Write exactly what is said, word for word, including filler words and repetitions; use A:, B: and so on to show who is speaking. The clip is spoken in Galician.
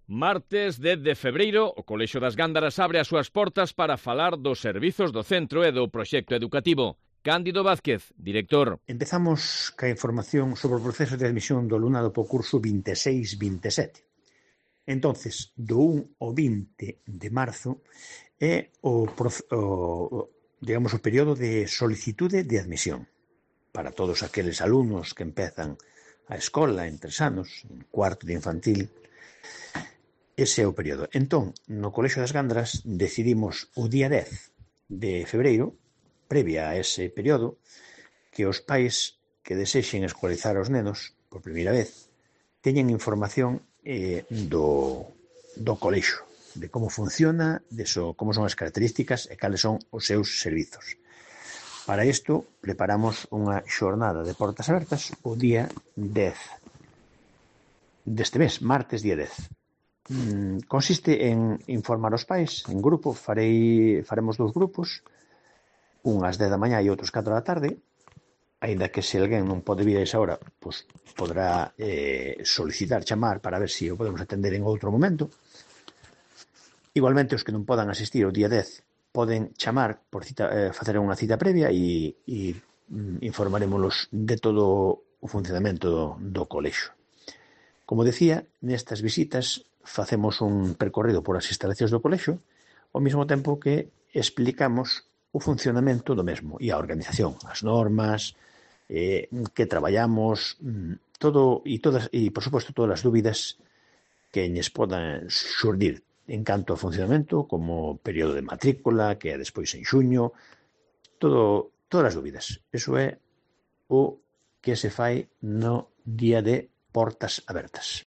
A: Martes dez de febreiro, o Colexio das Gándaras abre as súas portas para falar dos servizos do centro e do proxecto educativo. Cándido Vázquez, director.
B: Empezamos ca información sobre o proceso de admisión do alumnado po curso vinte e seis vinte e sete. Entonces, do un ao vinte de marzo é o, o, digamos, o período de solicitude de admisión para todos aqueles alumnos que empezan a escola en tres anos, en cuarto de infantil. Ese é o período. Entón, no Colexio das Gándaras decidimos o día dez de febreiro, previa a ese período, que os pais que desexen escolarizar os nenos por primeira vez teñen información eh, do, do colexio, de como funciona, de so, como son as características e cales son os seus servizos. Para isto, preparamos unha xornada de portas abertas o día dez deste mes, martes día dez. Mm, consiste en informar os pais en grupo, farei, faremos dous grupos, un ás dez da mañá e outros catro da tarde, aínda que se alguén non pode vir a esa hora, pois poderá eh, solicitar, chamar para ver se o podemos atender en outro momento. Igualmente, os que non podan asistir o día dez poden chamar, por cita, eh, facer unha cita previa e, e mm, informaremos de todo o funcionamento do, do colexio. Como decía, nestas visitas facemos un percorrido por as instalacións do colexio, ao mesmo tempo que explicamos o funcionamento do mesmo e a organización, as normas, eh, que traballamos, todo e todas e por suposto todas as dúbidas que lles podan xurdir en canto ao funcionamento, como período de matrícula, que é despois en xuño, todo, todas as dúbidas. Eso é o que se fai no día de portas abertas.